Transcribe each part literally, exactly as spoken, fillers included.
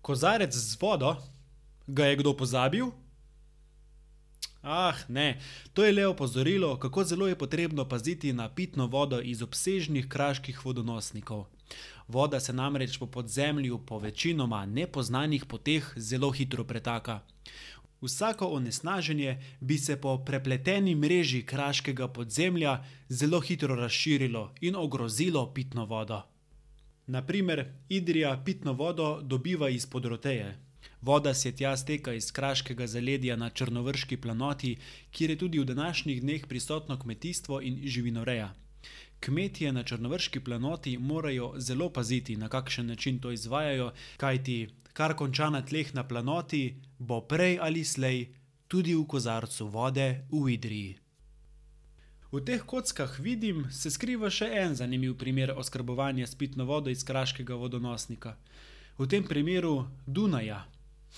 Kozarec z vodo? Ga je kdo pozabil? Ah, ne, to je le opozorilo, kako zelo je potrebno paziti na pitno vodo iz obsežnih kraških vodonosnikov. Voda se namreč po podzemlju po večinoma nepoznanih poteh zelo hitro pretaka. Vsako onesnaženje bi se po prepleteni mreži kraškega podzemlja zelo hitro razširilo in ogrozilo pitno vodo. Na primer, Idrija pitno vodo dobiva iz Podroteje. Voda se tja steka iz kraškega zaledja na Črnovrški planoti, kjer je tudi v današnjih dneh prisotno kmetijstvo in živinoreja. Kmetje na Črnovrški planoti morajo zelo paziti, na kakšen način to izvajajo, kajti kar konča na tleh na planoti, bo prej ali slej tudi v kozarcu vode v Idriji. V teh kockah vidim, se skriva še en zanimiv primer oskrbovanja s pitno vodo iz kraškega vodonosnika. V tem primeru Dunaja.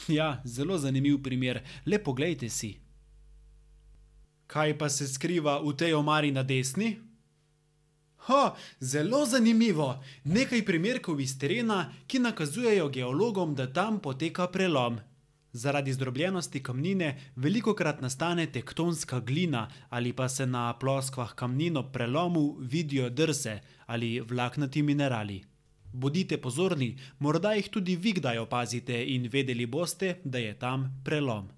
Ja, zelo zanimiv primer, le poglejte si. Kaj pa se skriva v tej omari na desni? Ha, zelo zanimivo! Nekaj primerkov iz terena, ki nakazujejo geologom, da tam poteka prelom. Zaradi zdrobljenosti kamnine velikokrat nastane tektonska glina ali pa se na ploskvah kamnin ob prelomu vidijo drse ali vlaknati minerali. Bodite pozorni, morda jih tudi vi kdaj opazite in vedeli boste, da je tam prelom.